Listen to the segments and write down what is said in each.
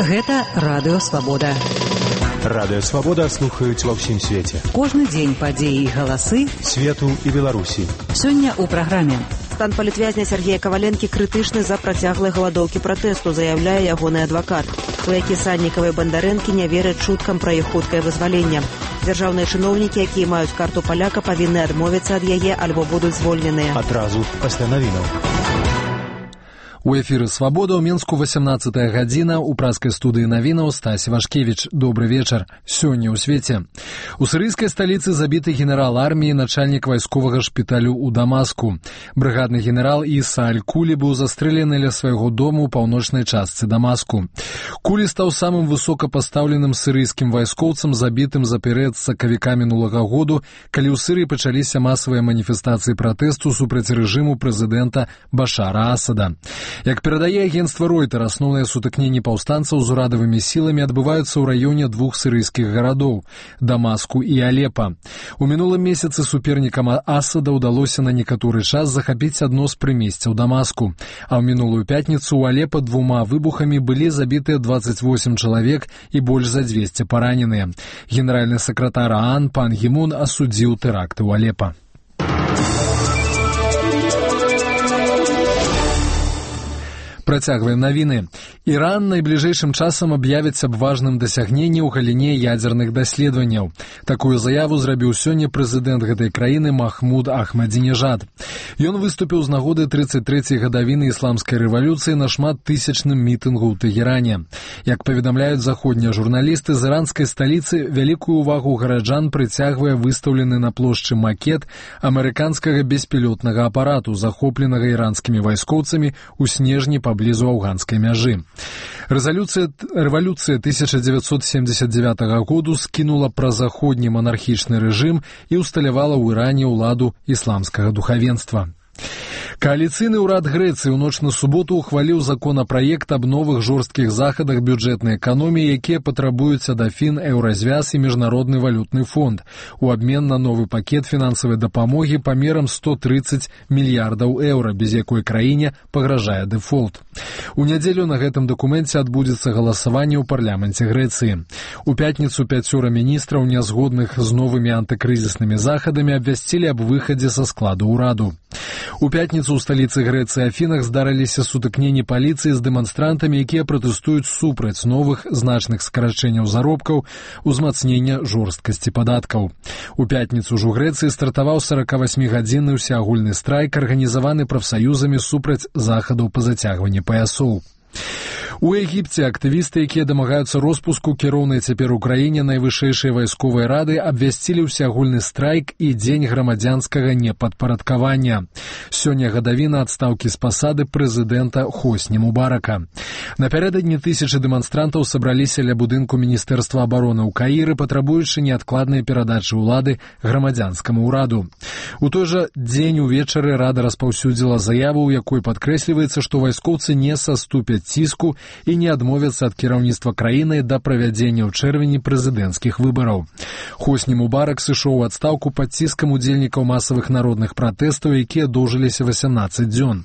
Гэта Радыё Свабода. Радыё Свабода слухаюць ва ўсім свеце. Кожны дзень падзеі і галасы свету і Беларусі. Сёння ў праграме. Стан палітвязня Сергея Каваленкі крытычны за працяглай галадоўкі пратэсту, заяўляе ягоны адвакат. Сваякі Сальнікава і Бандарэнкі не вераць чуткам пра іх хуткае вызваленне. Дзяржаўныя чыноўнікі, якія маюць карту паляка, павінны адмовіцца ад яе альбо будуць звольненыя. Адразу пасля навінаў. У эфіры «Свабода» ў Мінску 18-я гадзіна. У праскай студыі навінаў Стась Вашкевіч. Добры вечар. Сёння ў свеце. У сірыйскай сталіцы забіты генерал арміі, начальнік вайсковага шпіталю ў Дамаску. Брыгадны генерал Іса Аль-Кулі быў застрэлены ля свайго дому ў паўночнай частцы Дамаску. Кулі стаў самым высокапастаўленым сірыйскім вайскоўцам, забітым за перыяд з сакавіка мінулага году, калі ў Сірыі пачаліся масавыя маніфестацыі пратэсту супраць рэжыму прэзідэнта Башара Асада. Як перадае агенцтва Ройтер, асноўныя сутыкненні паўстанцаў з урадавымі сіламі адбываюцца ў раёне двух сірыйскіх гарадоў – Дамаску і Алепа. У мінулым месяцы супернікам Асада ўдалося на некаторы час захапіць адно з прымесцяў Дамаску. А ў мінулую пятніцу ў Алепа двума выбухамі былі забітыя 28 чалавек і больш за 200 параненыя. Генеральны сакратар ААН Пан Гі Мун асудзіў тэракты ў Алепа. Працягваем навіны. Іран найбліжэйшым часам аб'явіць аб важным дасягненні ў галіне ядзерных даследаванняў. Такую заяву зрабіў сёння прэзідэнт гэтай краіны Махмуд Ахмадзінежад. Ён выступіў з нагоды 33-й гадавіны ісламскай рэвалюцыі на шматтысячным мітынгу ў Тэгеране. Як паведамляюць заходнія журналісты, з іранскай сталіцы вялікую ўвагу гараджан прыцягвае выстаўлены на плошчы макет амерыканскага беспілотнага апарату, захопленага іранскімі вайскоўцамі ў снежні поблизу афганской мяжы. Рэвалюцыя 1979 году скінула празаходні манархічны рэжым і ўсталявала ў Іране ўладу ісламскага духавенства. Коаліцыйны ўрад Грэцыі ў ноч на суботу ухваліў законапраект аб новых жорсткіх захадах бюджэтнай эканоміі, якія патрабуюць ад Афін, Еўразвяз і Міжнародны валютны фонд у абмен на новы пакет фінансавай дапамогі памерам 130 мільярдаў еўра, без якой краіне пагражае дэфолт. У нядзелю на гэтым дакуменце адбудзецца галасаванне ў парламенце Грэцыі. У пятніцу 5 міністраў, нязгодных з новымі антыкрызіснымі захадамі, абвясцілі аб выхадзе са складу ўраду. У пятніцу ў сталіцы Грэцыі Афінах здарыліся сутыкненні паліцыі з дэманстрантамі, якія пратэстуюць супраць новых значных скарачэнняў заробкаў, узмацнення жорсткасці падаткаў. У пятніцу ж у Грэцыі стартаваў 48-гадзінны ўсеагульны страйк, арганізаваны прафсаюзамі супраць захадаў па зацягванні паясоў. У Егіпце актывісты, якія дамагаюцца роспуску кіроўнай цяпер у краіне найвышэйшай вайсковай рады, абвясцілі ўсеагульны страйк і дзень грамадзянскага непадпарадкавання. Сёння гадавіна адстаўкі з пасады прэзідэнта Хосні Мубарака. Напярэдадні тысячы дэманстрантаў сабраліся ля будынку Міністэрства абароны ў Каіры, патрабуючы неадкладнай перадачы ўлады грамадзянскаму ўраду. У той жа дзень увечары рада распаўсюдзіла заяву, у якой падкрэсліваецца, што вайскоўцы не саступяць ціску і не адмовяцца ад кіраўніцтва краіны да правядзення ў чэрвені прэзідэнцкіх выбараў. Хосні Мубарак сышоў у адстаўку пад ціскам удзельнікаў масавых народных пратэстаў, якія доўжыліся 18 дзён.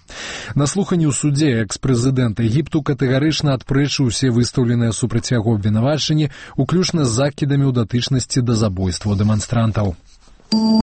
На слуханні ў судзе экс-прэзідэнт Егіпту катэгарычна адпрэчыў усе выстаўленыя супраць яго абвінавачанні, уключна з закідамі ў датычнасці да забойстваў дэманстрантаў.